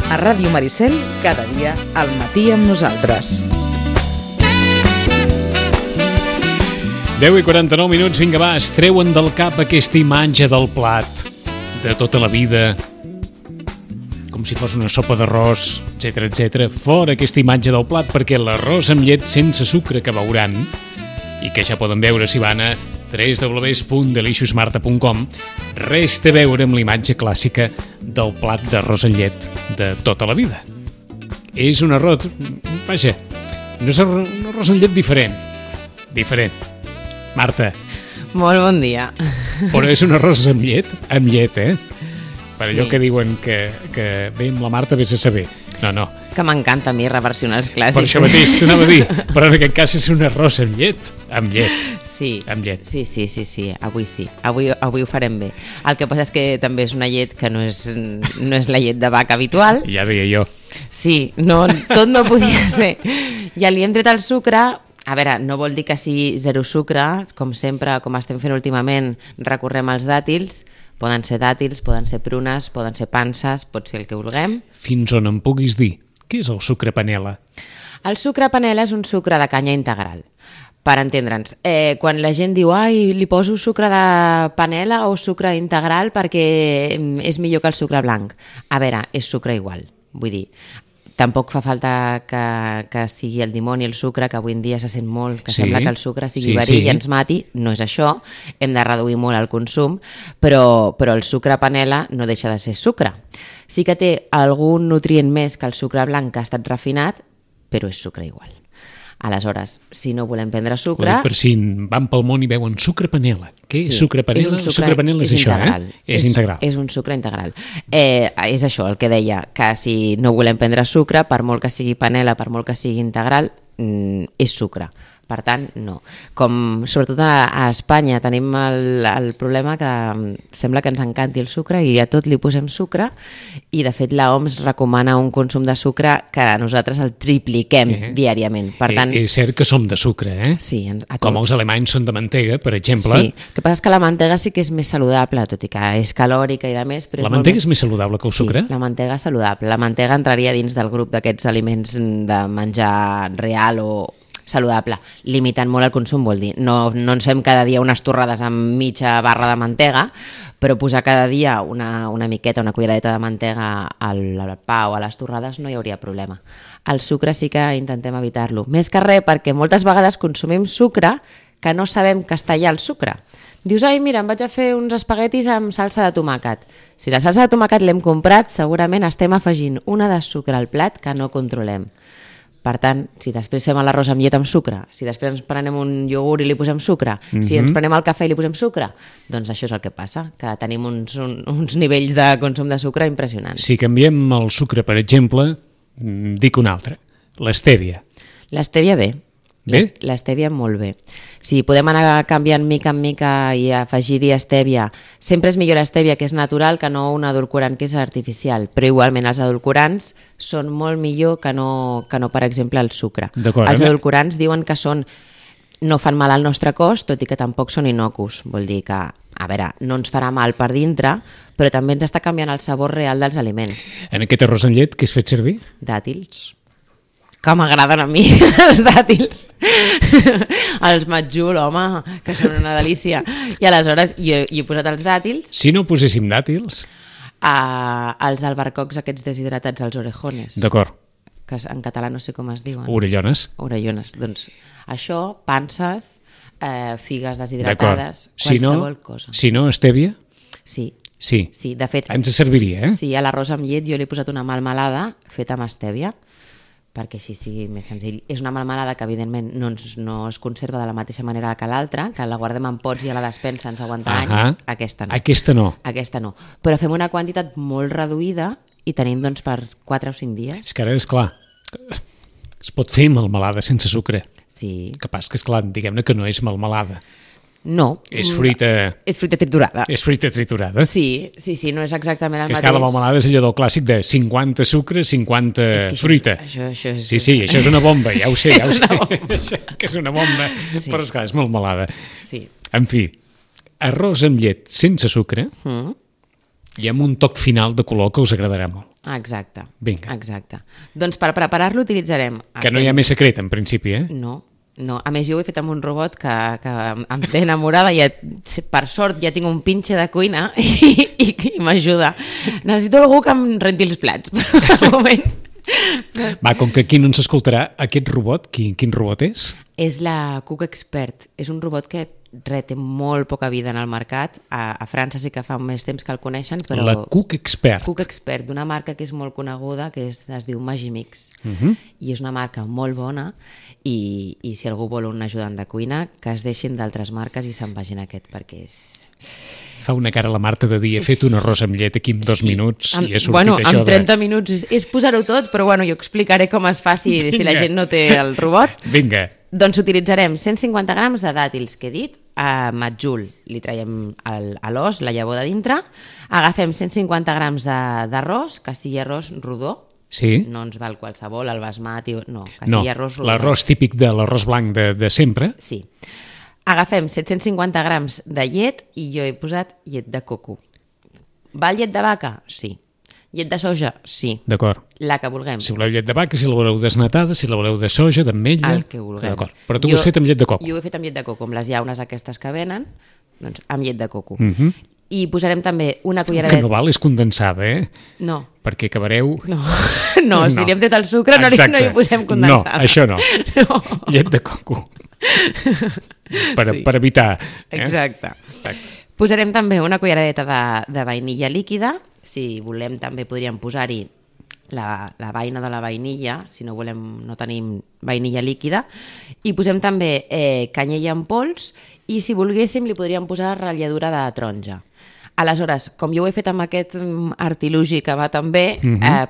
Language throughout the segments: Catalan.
A Ràdio Maricel, cada dia al matí amb nosaltres. 10:49, vinga va, es treuen del cap aquesta imatge del plat de tota la vida, com si fos una sopa d'arròs, etc. Fora aquesta imatge del plat, perquè l'arròs amb llet sense sucre que veuran, i que ja poden veure si van a www.deliciosmarta.com, res té a veure amb la imatge clàssica del plat d'arròs amb llet de tota la vida. És un arròs, vaja, no és un arròs amb llet diferent. Marta. Molt bon dia. Però és un arròs amb llet, per allò que diuen que bé, amb la Marta vés a saber. No. Que m'encanta a mi reversionar els clàssics. Per això mateix t'ho anava a dir, però en aquest cas és un arròs amb llet. Sí. Amb llet. Sí, avui sí. Avui ho farem bé. El que passa és que també és una llet que no és la llet de vaca habitual. Ja deia jo. Sí, no, tot no podia ser. Ja li hem tret el sucre. A veure, no vol dir que sigui zero sucre, com sempre, com estem fent últimament, recorrem als dàtils. Poden ser dàtils, poden ser prunes, poden ser panses, pot ser el que vulguem. Fins on em puguis dir, què és el sucre panela? El sucre panela és un sucre de canya integral. Per entendre'ns, quan la gent diu li poso sucre de panela o sucre integral perquè és millor que el sucre blanc. A veure, és sucre igual, vull dir... Tampoc fa falta que sigui el dimoni el sucre, que avui en dia se sent molt, que sembla que el sucre sigui verí i ens mati. No és això, hem de reduir molt el consum, però el sucre panela no deixa de ser sucre. Sí que té algun nutrient més que el sucre blanc que ha estat refinat, però és sucre igual. Aleshores, si no volem prendre sucre... Per si van pel món i veuen sucre panela. Què és sucre panela? El sucre panela és això, És integral. És un sucre integral. És això, el que deia, que si no volem prendre sucre, per molt que sigui panela, per molt que sigui integral, és sucre. Per tant, no. Com sobretot a Espanya tenim el problema que sembla que ens encanti el sucre i a tot li posem sucre, i de fet l'OMS recomana un consum de sucre que nosaltres el tripliquem diàriament. Per tant, és cert que som de sucre, Sí, com els alemanys són de mantega, per exemple. Sí, el que passa és que la mantega sí que és més saludable, tot i que és calòrica i de més. Però la mantega és més saludable que el sucre? Sí, la mantega és saludable. La mantega entraria dins del grup d'aquests aliments de menjar real o saludable, limitant molt el consum, vol dir. No ens fem cada dia unes torrades amb mitja barra de mantega, però posar cada dia una miqueta, una culleradeta de mantega al pa o a les torrades no hi hauria problema. El sucre sí que intentem evitar-lo. Més que res perquè moltes vegades consumim sucre que no sabem que està allà el sucre. Dius, mira, em vaig a fer uns espaguetis amb salsa de tomàquet. Si la salsa de tomàquet l'hem comprat, segurament estem afegint una de sucre al plat que no controlem. Per tant, si després fem l'arròs amb llet amb sucre, si després ens prenem un iogurt i li posem sucre, si ens prenem el cafè i li posem sucre, doncs això és el que passa, que tenim uns nivells de consum de sucre impressionants. Si canviem el sucre, per exemple, dic un altre, l'estèvia. L'estèvia bé. L'estèvia molt bé. Si podem anar canviant mica en mica i afegir-hi estèvia, sempre és millor l'estèvia que és natural que no un edulcorant que és artificial, però igualment els edulcorants són molt millor que no per exemple, el sucre. Els edulcorants diuen que no fan mal al nostre cos, tot i que tampoc són innocus. Vol dir que, a veure, no ens farà mal per dintre, però també ens està canviant el sabor real dels aliments. En aquest arròs amb llet, què has fet servir? Dàtils. Que m'agraden a mi, els dàtils. Els matjul, home, que són una delícia. I aleshores jo he posat els dàtils. Si no poséssim dàtils? Els albercocs aquests deshidratats, els orejones. D'acord. Que en català no sé com es diuen. Orellones. Orellones. Doncs això, panses, figues deshidratades, qualsevol cosa. Si no, estèvia? Sí. Sí, de fet... Ens serviria, Sí, a l'arròs amb llet jo li he posat una melmelada feta amb estèvia, perquè així sigui més senzill. És una melmelada que evidentment no es conserva de la mateixa manera que l'altra, que la guardem en pots i a la despensa ens aguanta anys. Aquesta no. Aquesta no. Però fem una quantitat molt reduïda i tenim doncs per 4 o 5 dies. És que ara, esclar, es pot fer melmelada sense sucre. Sí. El que passa que, esclar, diguem-ne que no és melmelada. No. És fruita... És fruita triturada. És fruita triturada. Sí, no és exactament el mateix. És que la melmelada és allò del clàssic de 50 sucre, 50 fruita. Això és... Sí, això és una bomba, ja ho sé. Això que és una bomba, però esclar, és melmelada. Sí. En fi, arròs amb llet sense sucre I amb un toc final de color que us agradarà molt. Exacte. Vinga. Exacte. Doncs per preparar-lo utilitzarem... Que no hi ha més secret, en principi, eh? No. A més, jo ho he fet amb un robot que em té enamorada i per sort ja tinc un pinche de cuina i m'ajuda. Necessito algú que em renti els plats. Per moment. Va, com que aquí no ens escoltarà, aquest robot, quin robot és? És la Cook Expert. És un robot que té molt poca vida en el mercat. A França sí que fa més temps que el coneixen, però... La Cook Expert. Cook Expert, d'una marca que és molt coneguda, que es diu Magimix. I és una marca molt bona i si algú vol un ajudant de cuina, que es deixin d'altres marques i se'n vagin a aquest, perquè és... Fa una cara a la Marta de dir, he fet un arròs amb llet aquí en 2 minuts i he sortit bueno, això en 30 minuts és posar-ho tot, però bueno, jo explicaré com es fa si la gent no té el robot. Vinga. Doncs utilitzarem 150 grams de dàtils que he dit, a matjul li traiem l'os, la llavor de dintre, agafem 150 grams d'arròs, que sigui arròs rodó, Sí. no ens val qualsevol, el basmati, no, que sigui arròs rodó. L'arròs típic de l'arròs blanc de sempre. Sí. Agafem 750 grams de llet i jo he posat llet de coco. Val llet de vaca? Sí. Llet de soja? Sí. D'acord. La que vulguem. Si voleu llet de vaca, si la voleu desnatada, si la voleu de soja, d'ametlla... El que vulguem. D'acord. Però tu ho has fet amb llet de coco. Jo ho he fet amb llet de coco, amb les llaunes aquestes que venen, doncs amb llet de coco. I posarem també una Que culleradeta... no val és condensada, eh? No. Perquè acabareu... No, si li hem tret el sucre no hi posem condensada. No, això no. Llet de coco. Per evitar... Exacte. Posarem també una culleradeta de vainilla líquida. Si volem també podríem posar-hi la vaina de la vainilla, si no tenim vainilla líquida. I posem també canyella en pols i si volguéssim li podríem posar ratlladura de taronja. Aleshores, com jo ho he fet amb aquest artilugi que va tan bé,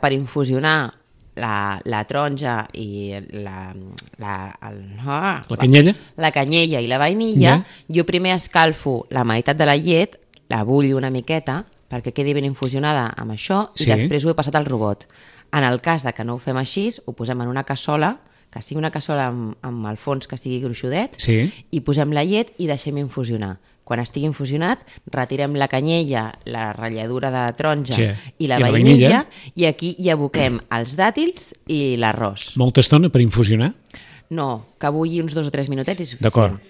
per infusionar la taronja i la canyella? La canyella i la vainilla, jo primer escalfo la meitat de la llet, la bullo una miqueta, perquè quedi ben infusionada amb això, i després ho he passat al robot. En el cas de que no ho fem així, ho posem en una cassola, que sigui una cassola amb el fons que sigui gruixudet, i posem la llet i deixem infusionar. Quan estigui infusionat, retirem la canyella, la ratlladura de taronja i la vainilla, i aquí hi aboquem els dàtils i l'arròs. Molta estona per infusionar? No, que bulli uns 2 o 3 minutets i suficient. D'acord.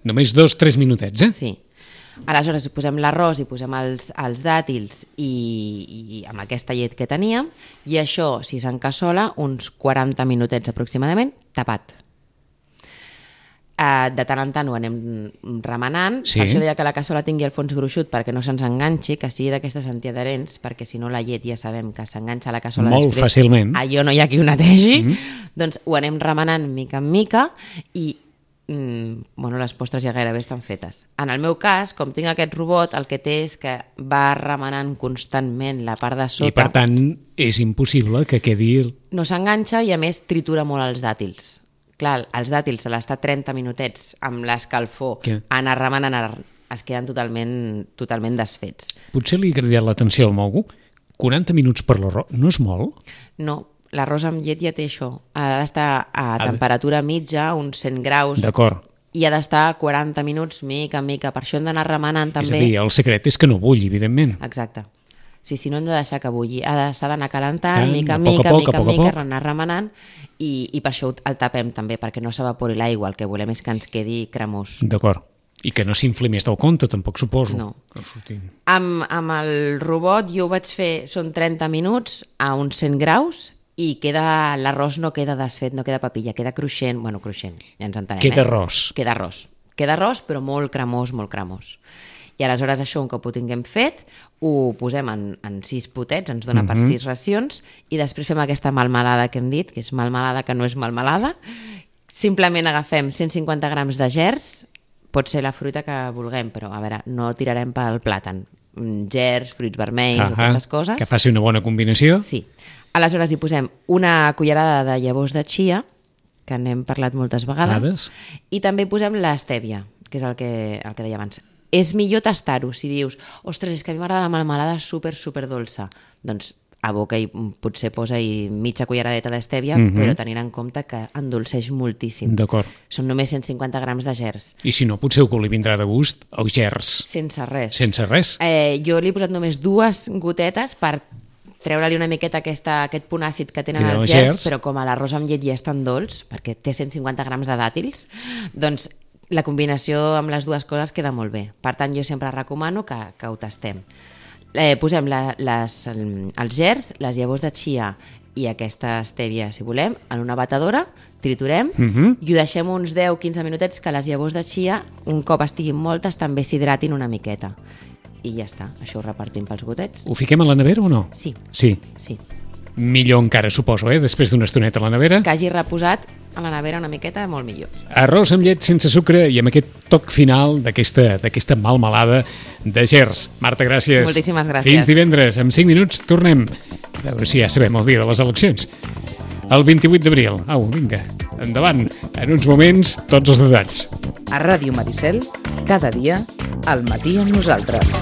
Només 2 o 3 minutets, eh? Sí. Aleshores posem l'arròs i posem els dàtils i amb aquesta llet que teníem, i això, si s'encassola, uns 40 minutets aproximadament, tapat. De tant en tant ho anem remenant, per això deia que la cassola tingui el fons gruixut perquè no se'ns enganxi, que sigui d'aquestes antiadherents, perquè si no la llet ja sabem que s'enganxa a la cassola molt després. Fàcilment. Allò no hi ha qui ho netegi. Doncs ho anem remenant mica en mica i les postres ja gairebé estan fetes. En el meu cas, com tinc aquest robot, el que té és que va remenant constantment la part de sota. I per tant és impossible que quedi... No s'enganxa i a més tritura molt els dàtils. Clar, els dàtils a l'estar 30 minutets amb l'escalfor, anar remenant, es queden totalment desfets. Potser li ha cridat l'atenció al mogo. 40 minuts per l'arròs, no és molt? No, l'arròs amb llet ja té això. Ha d'estar a temperatura mitja, uns 100 graus. D'acord. I ha d'estar 40 minuts mica en mica. Per això hem d'anar remenant també. És a dir, el secret és que no bulli, evidentment. Exacte. Sí, no hem de deixar que bulli. S'ha d'anar calentant, mica en mica, anar remenant, i per això el tapem també, perquè no s'evapori l'aigua. El que volem és que ens quedi cremós. D'acord. I que no s'infli més del compte, tampoc suposo. No. Amb el robot jo ho vaig fer, són 30 minuts a uns 100 graus, i l'arròs no queda desfet, no queda papilla, queda cruixent, ja ens entenem. Queda arròs. Queda arròs, però molt cremós. I aleshores això, un cop ho tinguem fet, ho posem en 6 potets, ens dona per 6 racions, i després fem aquesta melmelada que hem dit, que és melmelada que no és melmelada. Simplement agafem 150 grams de gerds, pot ser la fruita que vulguem, però a veure, no tirarem pel plàtan. Gerds, fruits vermells, aquestes coses. Que faci una bona combinació. Sí. Aleshores hi posem una cullerada de llavors de chia, que n'hem parlat moltes vegades, i també posem l'estèvia, que és el que deia abans. És millor tastar-ho, si dius, ostres, és que a mi m'agrada la melmelada super dolça. Doncs aboca i potser posa-hi mitja culleradeta d'estèvia, però tenint en compte que endolceix moltíssim. D'acord. Són només 150 grams de gerds. I si no, potser que li vindrà de gust el gerds. Sense res. Sense res. Jo li he posat només 2 gotetes per treure-li una miqueta aquest punt àcid que tenen els gerds, però com l'arròs amb llet ja és tan dolç, perquè té 150 grams de dàtils, doncs la combinació amb les 2 coses queda molt bé. Per tant, jo sempre recomano que ho tastem. Posem els gerds, les llavors de chia i aquesta estèvia, si volem, en una batedora, triturem i ho deixem uns 10-15 minutets que les llavors de chia, un cop estiguin moltes, també s'hidratin una miqueta. I ja està, això ho repartim pels gotets. Ho fiquem a la nevera o no? Sí. Sí. Millor encara, suposo, després d'una estoneta a la nevera. Que hagi reposat a la nevera una miqueta, molt millor. Arròs amb llet sense sucre i amb aquest toc final d'aquesta malmelada de gerds. Marta, gràcies. Moltíssimes gràcies. Fins divendres, en 5 minuts tornem. A veure si ja sabem el dia de les eleccions. El 28 d'abril. Au, vinga, endavant. En uns moments, tots els detalls. A Ràdio Maricel, cada dia, al matí amb nosaltres.